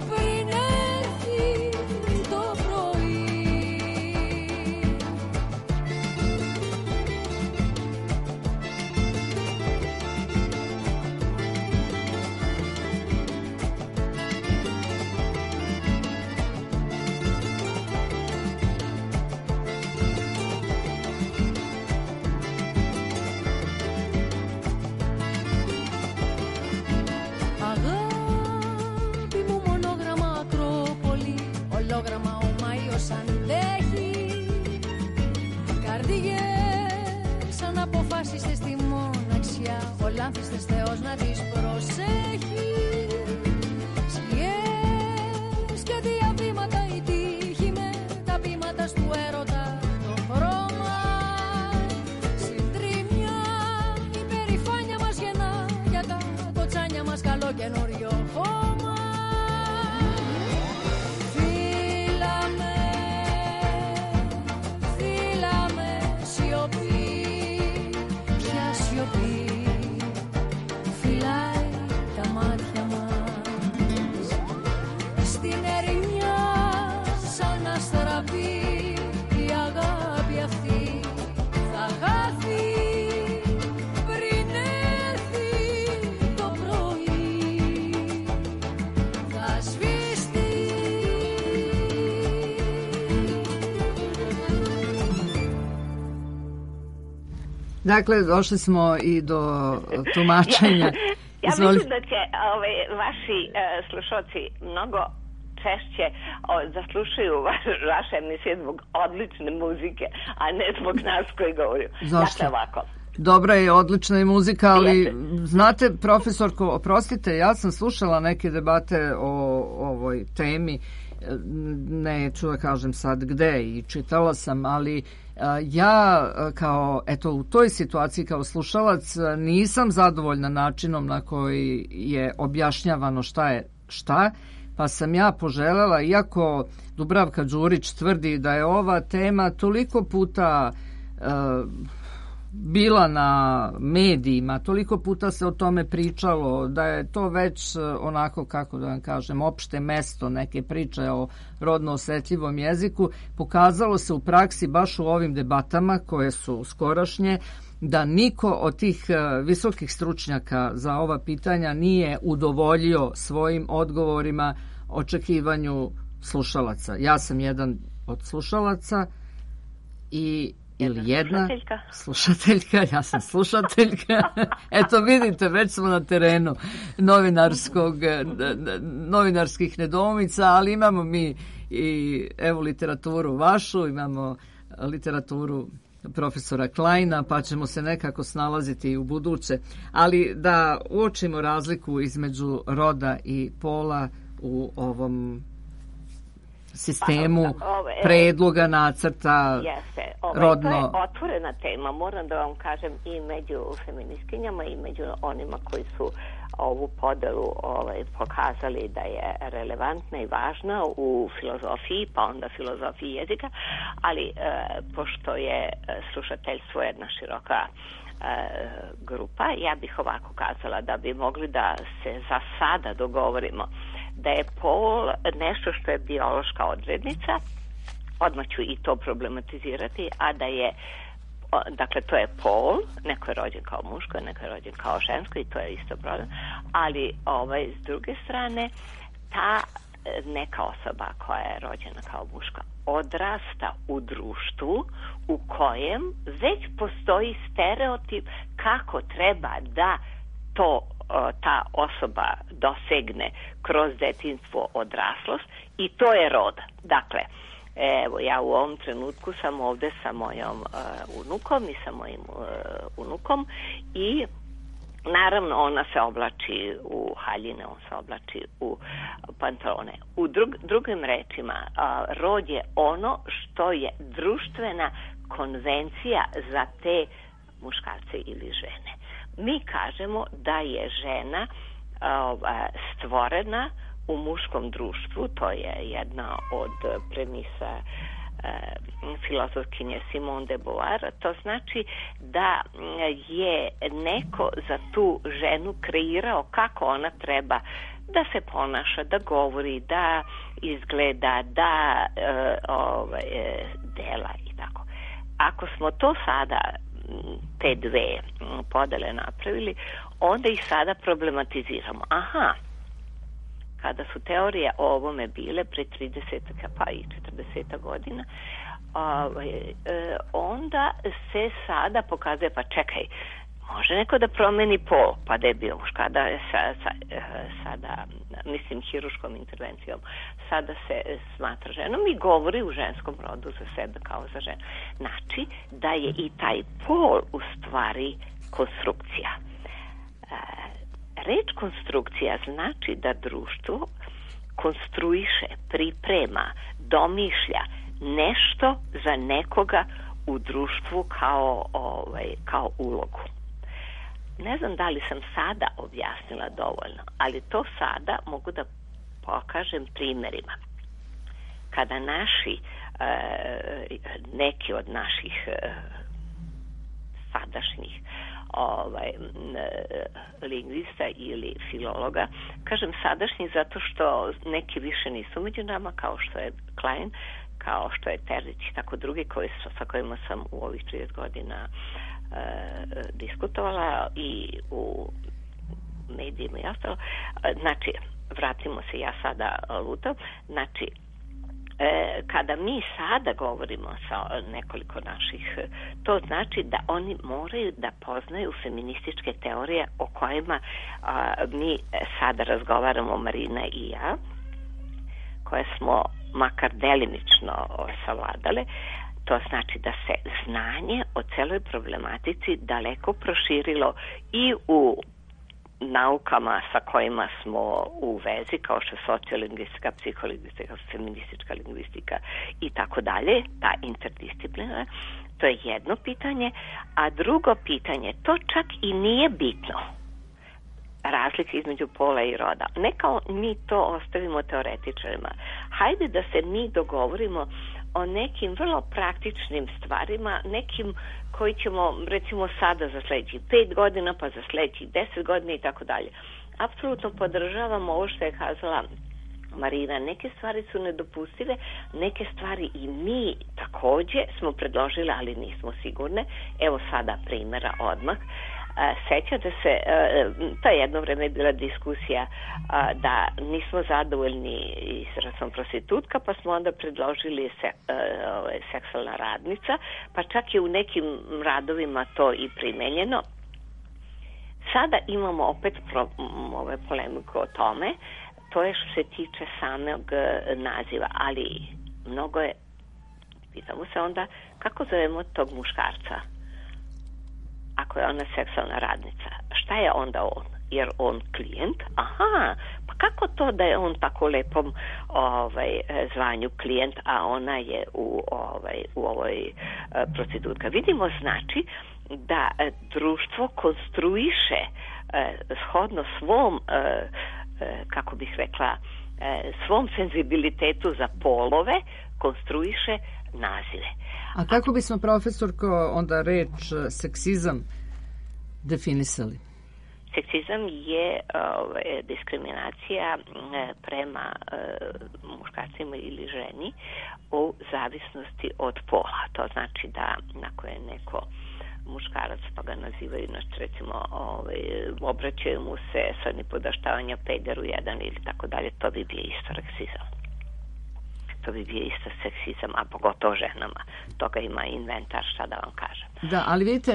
πριν έρθει το πρωί. Αγάπη μου μονόγραμμα Ακρόπολη, ολόγραμμα ο Μάιος αντέχει. Καρδιές σαν αποφάσιστες στη μοναξιά, ο λάμφιστες Θεός να τις προσέχει. Σκιές και διαβήματα η τύχη με τα πείματα του έρωτα το χρώμα. Συντρίμια η περηφάνεια μας γεννά, για τα κοτσάνια μας καλό καινούριο χώμα. Φύλαμε, φύλαμε, σιωπή, πια σιωπή, φυλάει τα μάτια μας. Στην ερημιά σαν να στραπεί η αγάπη αυτή θα χάθει πριν έρθει το πρωί. Θα σβήσει. Dakle, došli smo i do tumačenja. Ja Izvoli. mislim da će ove, vaši e, slušalci mnogo češće o, zaslušaju vaš, vaše emisije zbog odlične muzike, a ne zbog nas koji govorimo. Zašto? Dakle, ovako. Dobra je, odlična je muzika, ali Jeste. znate, profesorko, oprostite, ja sam slušala neke debate o ovoj temi, neću da kažem sad gde i čitala sam, ali a, ja a, kao, eto, u toj situaciji kao slušalac a, nisam zadovoljna načinom na koji je objašnjavano šta je šta, pa sam ja poželela, iako Dubravka Đurić tvrdi da je ova tema toliko puta a, bila na medijima, toliko puta se o tome pričalo, da je to već onako, kako da vam kažem, opšte mesto neke priče o rodno osetljivom jeziku, pokazalo se u praksi baš u ovim debatama koje su skorašnje, da niko od tih visokih stručnjaka za ova pitanja nije udovoljio svojim odgovorima očekivanju slušalaca. Ja sam jedan od slušalaca i ili jedna slušateljka. slušateljka, ja sam slušateljka. Eto vidite, već smo na terenu novinarskog, novinarskih nedoumica, ali imamo mi i evo literaturu vašu, imamo literaturu profesora Kleina, pa ćemo se nekako snalaziti i u buduće. Ali da uočimo razliku između roda i pola u ovom sistemu Pa, ove, predloga, nacrta, jeste, ovaj, rodno. To je otvorena tema, moram da vam kažem, i među feministkinjama i među onima koji su ovu podelu ovaj, pokazali da je relevantna i važna u filozofiji, pa onda filozofiji jezika, ali e, pošto je slušateljstvo jedna široka e, grupa, ja bih ovako kazala da bi mogli da se za sada dogovorimo da je pol nešto što je biološka odrednica, odmah ću i to problematizirati, a da je dakle to je pol, neko je rođen kao muško, neko je rođen kao žensko i to je isto problem, ali ovaj, s druge strane ta neka osoba koja je rođena kao muška odrasta u društvu u kojem već postoji stereotip kako treba da to ta osoba dosegne kroz detinjstvo, odraslost i to je rod. Dakle, evo ja u ovom trenutku sam ovde sa mojom uh, unukom i sa mojim uh, unukom i naravno ona se oblači u haljine, on se oblači u pantalone. U drug, drugim rečima, uh, rod je ono što je društvena konvencija za te muškarce ili žene. Mi kažemo da je žena uh, stvorena u muškom društvu, to je jedna od premisa uh, filozofkinje Simone de Beauvoir. To znači da je neko za tu ženu kreirao kako ona treba da se ponaša, da govori, da izgleda, da uh, ovaj, dela i tako. Ako smo to sada te dve podele napravili, onda ih sada problematiziramo. Aha, kada su teorije o ovome bile pre trideset pa i četrdeset godina, ovaj, onda se sada pokazuje, pa čekaj, može neko da promeni pol, pa da je bio muška, da je sa, sa, sada, mislim, hiruškom intervencijom, sada se smatra ženom i govori u ženskom rodu za sebe kao za ženu. Znači da je i taj pol u stvari konstrukcija. Reč konstrukcija znači da društvo konstruiše, priprema, domišlja nešto za nekoga u društvu kao, ovaj, kao ulogu. Ne znam da li sam sada objasnila dovoljno, ali to sada mogu da pokažem primjerima. Kada naši, e, neki od naših e, sadašnjih ovaj, e, lingvista ili filologa, kažem sadašnji zato što neki više nisu među nama, kao što je Klein, kao što je Terzić i tako drugi koji, sa kojima sam u ovih trideset godina E, diskutovala i u medijima i ostalo. Znači, vratimo se, ja sada lutam. Znači, e, kada mi sada govorimo sa nekoliko naših, to znači da oni moraju da poznaju feminističke teorije o kojima a, mi sada razgovaramo, Marina i ja, koje smo makar delimično savladale. To znači da se znanje o celoj problematici daleko proširilo i u naukama sa kojima smo u vezi, kao što je sociolingvistika, psiholingvistika, feministička lingvistika i tako dalje, ta interdisciplina. To je jedno pitanje, a drugo pitanje, to čak i nije bitno. Razlike između pola i roda. Neka mi to ostavimo teoretičarima. Hajde da se mi dogovorimo o nekim vrlo praktičnim stvarima, nekim koji ćemo recimo sada za sljedećih pet godina, pa za sljedećih deset godina i tako dalje. Apsolutno podržavam ovo što je kazala Marina. Neke stvari su nedopustive, neke stvari i mi također smo predložili, ali nismo sigurne. Evo sada primjera odmah. Sećate se, to je jedno vreme bila diskusija da nismo zadovoljni izrazom prostitutka, pa smo onda predložili se, seksualna radnica, pa čak je u nekim radovima to i primenjeno. Sada imamo opet pro, ove polemiku o tome, to je što se tiče samog naziva, ali mnogo je, pitamo se onda kako zovemo tog muškarca ako je ona seksualna radnica. Šta je onda on? Jer on klijent? Aha, pa kako to da je on tako lepom ovaj, zvanju klijent, a ona je u, ovaj, u ovoj uh, prostitutka? Vidimo znači da uh, društvo konstruiše uh, shodno svom, uh, uh, kako bih rekla, uh, svom senzibilitetu za polove, konstruiše nazive. A kako bismo, profesorko, onda reč seksizam definisali? Seksizam je uh, diskriminacija prema uh, muškarcima ili ženi u zavisnosti od pola. To znači znači da ako je neko muškarac pa ga nazivaju, znači recimo ovaj, obraćaju mu se sa nipodaštavanja pederu jedan ili tako dalje, to bi bio isto reksizam. To bi bio isto seksizam, a pogotovo ženama. Toga ima inventar, šta da vam kažem. Da, ali vidite,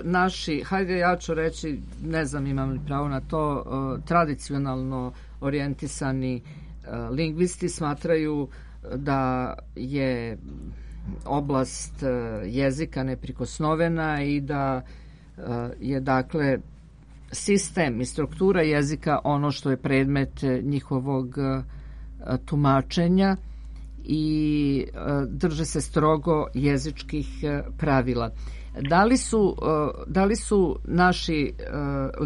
naši, hajde ja ću reći, ne znam imam li pravo na to, tradicionalno orijentisani lingvisti smatraju da je oblast jezika neprikosnovena i da je dakle sistem i struktura jezika ono što je predmet njihovog tumačenja i drže se strogo jezičkih pravila. Da li su, da li su naši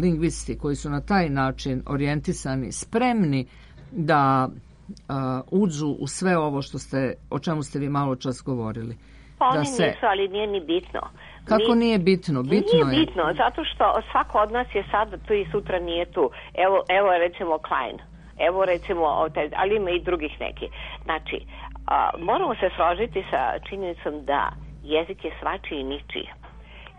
lingvisti koji su na taj način orijentisani spremni da uđu u sve ovo što ste, o čemu ste vi malo čas govorili? Pa oni da se... nisu, ali nije ni bitno. Kako Mi... nije bitno? Bitno nije je. bitno, zato što svako od nas je sada tu i sutra nije tu. Evo, evo recimo Klein. Evo recimo, ali ima i drugih neki. Znači, a, moramo se složiti sa činjenicom da jezik je svačiji i ničiji.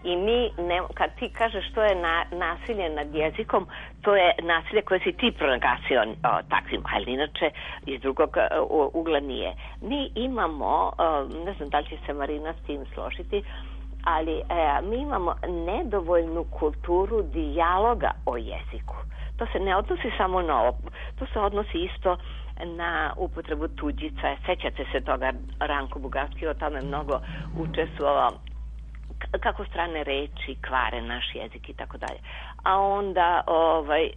I mi, ne, kad ti kažeš što je na, nasilje nad jezikom, to je nasilje koje si ti pronagasio takvim, ali inače iz drugog uh, ugla nije. Mi imamo, uh, ne znam da li će se Marina s tim složiti, ali uh, mi imamo nedovoljnu kulturu dijaloga o jeziku. To se ne odnosi samo na ovo, to se odnosi isto na upotrebu tuđica. Sećate se toga, Ranko Bugarski o tome mnogo učestvovao, kako strane reči kvare naš jezik i tako dalje. A onda ovaj, e,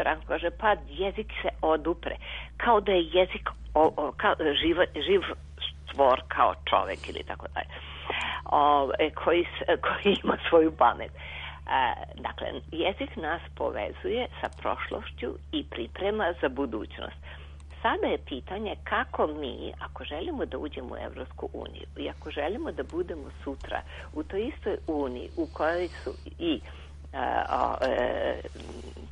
Ranko kaže, pa jezik se odupre. Kao da je jezik o, o, kao, živ, živ stvor kao čovek ili tako dalje. O, e, koji, koji ima svoju pamet. E, dakle, jezik nas povezuje sa prošlošću i priprema za budućnost. Sada je pitanje kako mi, ako želimo da uđemo u Evropsku uniju i ako želimo da budemo sutra u toj istoj uniji u kojoj su i uh, uh,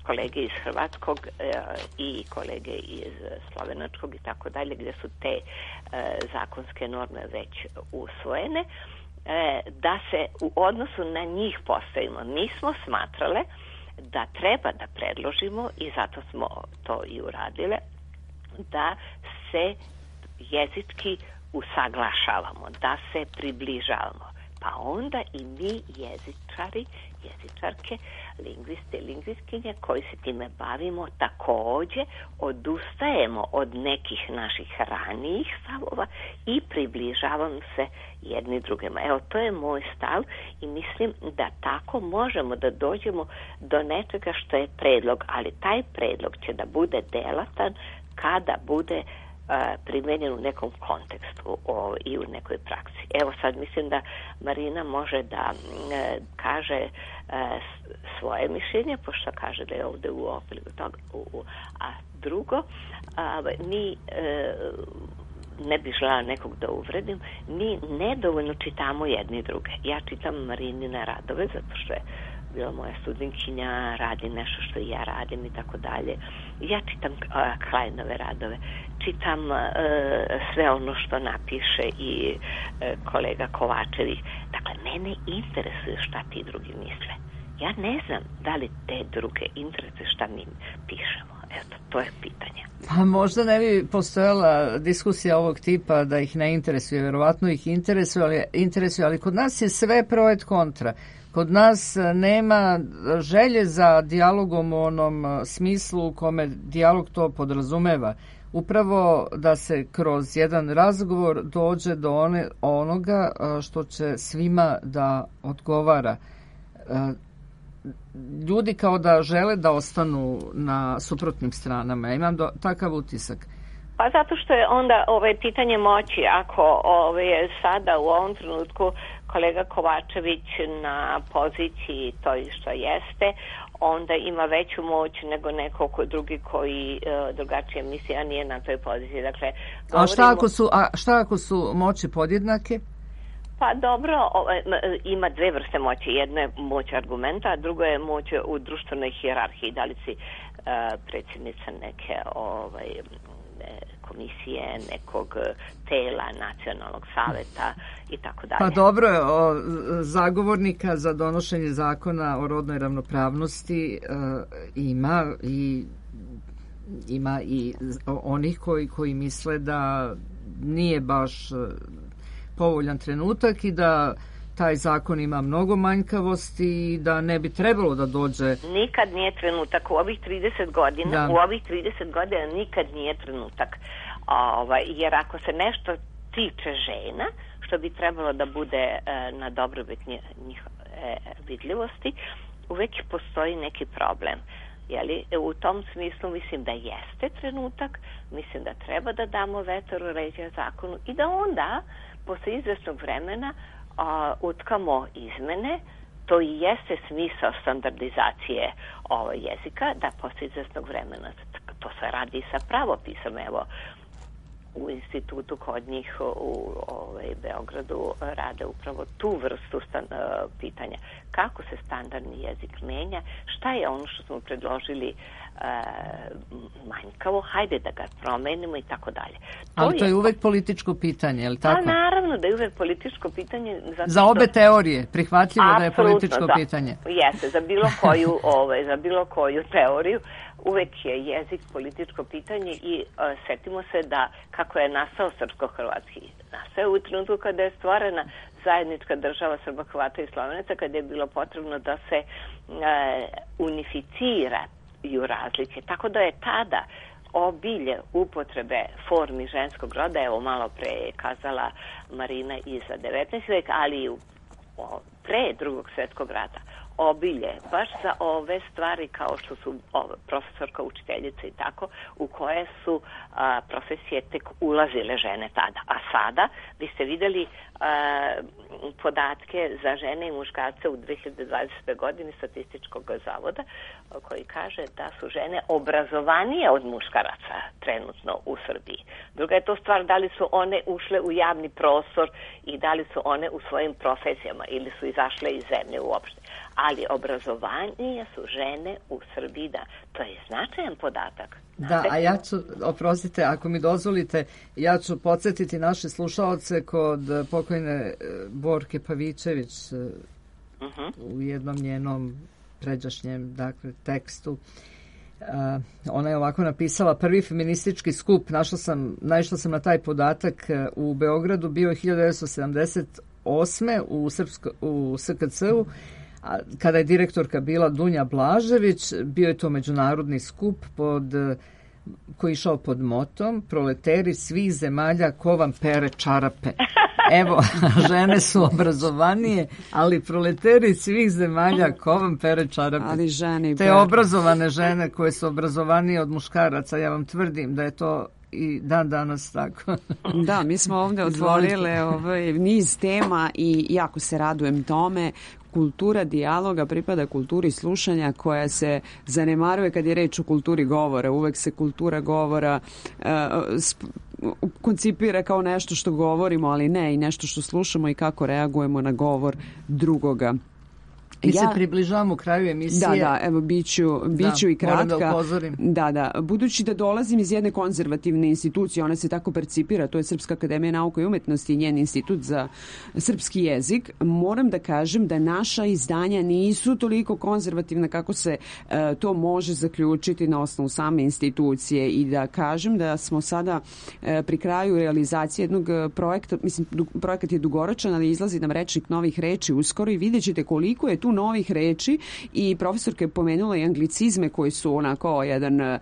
kolege iz Hrvatskog uh, i kolege iz Slovenačkog i tako dalje, gdje su te uh, zakonske norme već usvojene, uh, da se u odnosu na njih postavimo. Mi smo smatrale da treba da predložimo, i zato smo to i uradile, da se jezički usaglašavamo, da se približavamo. Pa onda i mi jezičari, jezičarke, lingviste, lingvistkinje koji se time bavimo također odustajemo od nekih naših ranijih stavova i približavamo se jedni drugima. Evo, to je moj stav i mislim da tako možemo da dođemo do nečega što je predlog, ali taj predlog će da bude delatan kada bude uh, primjenjen u nekom kontekstu o, i u nekoj praksi. Evo sad mislim da Marina može da uh, kaže uh, svoje mišljenje, pošto kaže da je ovdje u okviru toga. A drugo, uh, mi uh, ne bih želela nekog da uvredim, mi nedovoljno čitamo jedni druge. Ja čitam Marinine radove, zato što je bila moja studentkinja, radi nešto što i ja radim i tako dalje. Ja čitam uh, Kleinove radove, čitam uh, sve ono što napiše i uh, kolega Kovačević. Dakle, mene interesuje šta ti drugi misle. Ja ne znam da li te druge interesuje šta mi pišemo. Eto, to je pitanje. Pa možda ne bi postojala diskusija ovog tipa da ih ne interesuje. Verovatno ih interesuje, ali, interesuje, ali kod nas je sve pro et kontra. Kod nas nema želje za dijalogom u onom smislu u kome dijalog to podrazumeva. Upravo da se kroz jedan razgovor dođe do one, onoga što će svima da odgovara. Ljudi kao da žele da ostanu na suprotnim stranama. Ja imam do, takav utisak. Pa zato što je onda ovaj, pitanje moći. Ako ovaj, je sada u ovom trenutku kolega Kovačević na poziciji toj što jeste, onda ima veću moć nego neko ko drugi koji uh, drugačije misli, a nije na toj poziciji. Dakle, govorimo... A šta ako su, a šta ako su moći podjednake? Pa dobro, ima dve vrste moći. Jedna je moć argumenta, a druga je moć u društvenoj hijerarhiji. Da li si uh, predsjednica neke ovaj, komisije, nekog tela, nacionalnog saveta i tako dalje. Pa dobro, o, zagovornika za donošenje zakona o rodnoj ravnopravnosti e, ima i ima i onih koji, koji misle da nije baš povoljan trenutak i da taj zakon ima mnogo manjkavosti i da ne bi trebalo da dođe. Nikad nije trenutak. U ovih trideset godina, da. u ovih trideset godina nikad nije trenutak. Ovaj, jer ako se nešto tiče žena, što bi trebalo da bude e, na dobrobit njih e, vidljivosti, uvek postoji neki problem. Jeli, u tom smislu mislim da jeste trenutak, mislim da treba da damo vetar u leđa zakonu i da onda, posle izvesnog vremena, a, utkamo izmene. To i jeste smisao standardizacije ovo, jezika, da posle izvesnog vremena, to se radi i sa pravopisom, evo, u institutu kod njih u ovaj, Beogradu rade upravo tu vrstu stan, uh, pitanja. Kako se standardni jezik menja, šta je ono što smo predložili uh, manjkavo, hajde da ga promenimo i tako dalje. Ali to je uvek političko pitanje, je li tako? Pa naravno da je uvek političko pitanje. Zato za obe što... teorije, prihvatljivo da je političko da. pitanje. Jeste, za bilo koju, ovaj, za bilo koju teoriju. Uvek je jezik političko pitanje i uh, setimo se da kako je nastao srpsko-hrvatski. Nastao u trenutku kada je stvorena zajednička država Srba, Hrvata i Slovenaca, kada je bilo potrebno da se uh, unificiraju razlike. Tako da je tada obilje upotrebe formi ženskog roda, evo malo pre je kazala Marina i za devetnaesti vek, ali i u, o, pre drugog svjetskog rata, obilje, baš za ove stvari kao što su o, profesorka, učiteljica i tako, u koje su a, profesije tek ulazile žene tada. A sada, vi ste vidjeli a, podatke za žene i muškarce u dve hiljade dvadesete. godini Statističkog zavoda, koji kaže da su žene obrazovanije od muškaraca trenutno u Srbiji. Druga je to stvar da li su one ušle u javni prostor i da li su one u svojim profesijama ili su izašle iz zemlje uopšte. Ali obrazovanije su žene u Srbiji, da. To je značajan podatak. Da, a ja ću, oprostite, ako mi dozvolite, ja ću podsjetiti naše slušaoce kod pokojne Borke Pavićević uh-huh. u jednom njenom pređašnjem, dakle, tekstu. Uh, ona je ovako napisala: prvi feministički skup, našla sam, naišla sam na taj podatak u Beogradu, bio je hiljadu devetsto sedamdeset osme u, Srpsko, u S K C-u, a kada je direktorka bila Dunja Blažević. Bio je to međunarodni skup pod, koji išao pod motom proleteri svih zemalja ko vam pere čarape. Evo, žene su obrazovanije, ali proleteri svih zemalja ko vam pere čarape. Ali žene te obrazovane žene koje su obrazovanije od muškaraca, ja vam tvrdim da je to i dan danas tako. Da, mi smo ovdje otvorili ovaj niz tema i jako se radujem tome. Kultura dijaloga pripada kulturi slušanja koja se zanemaruje kad je reč o kulturi govora. Uvek se kultura govora uh, sp- koncipira kao nešto što govorimo, ali ne i nešto što slušamo i kako reagujemo na govor drugoga. Mi ja, se približavamo kraju emisije. Da, da, evo, biću, biću da, i kratka. Da, upozorim. Da, da. Budući da dolazim iz jedne konzervativne institucije, ona se tako percipira, to je Srpska akademija nauka i umetnosti i njen institut za srpski jezik, moram da kažem da naša izdanja nisu toliko konzervativna kako se uh, to može zaključiti na osnovu same institucije i da kažem da smo sada uh, pri kraju realizacije jednog projekta, mislim, du, projekat je dugoročan, ali izlazi nam rečnik novih reči uskoro i vidjet ćete koliko je tu novih reči i profesorka je pomenula i anglicizme koji su onako jedan, uh,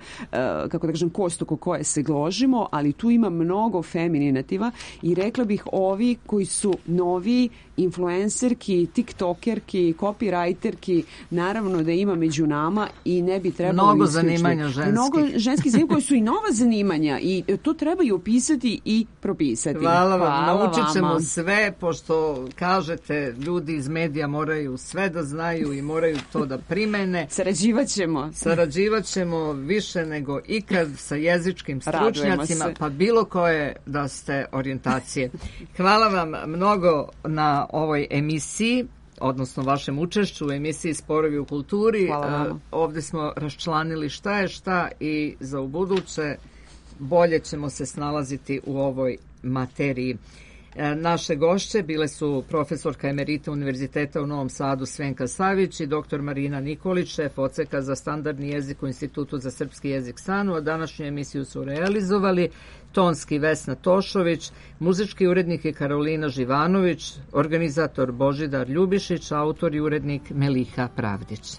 kako da kažem, kost oko koje se gložimo, ali tu ima mnogo femininativa i rekla bih ovi koji su novi influencerki, tiktokerki, copywriterki, naravno da ima među nama i ne bi trebalo mnogo zanimanja ženskih. Mnogo ženskih zanimanja koji su i nova zanimanja i to treba i opisati i propisati. Hvala vam, naučit ćemo sve, pošto kažete ljudi iz medija moraju sve da znaju i moraju to da primene. Sarađivat ćemo. Sarađivat ćemo više nego ikad sa jezičkim stručnjacima, pa bilo koje da ste orijentacije. Hvala vam mnogo na ovoj emisiji, odnosno vašem učešću u emisiji Sporovi u kulturi. Hvala vam. Ovdje smo raščlanili šta je šta i za ubuduće bolje ćemo se snalaziti u ovoj materiji. Naše gošće bile su profesorka emerita Univerziteta u Novom Sadu Svenka Savić i doktor Marina Nikolić, šef odseka za standardni jezik u Institutu za srpski jezik SANU, a današnju emisiju su realizovali tonski Vesna Tošović, muzički urednik je Karolina Živanović, organizator Božidar Ljubišić, autor i urednik Meliha Pravdić.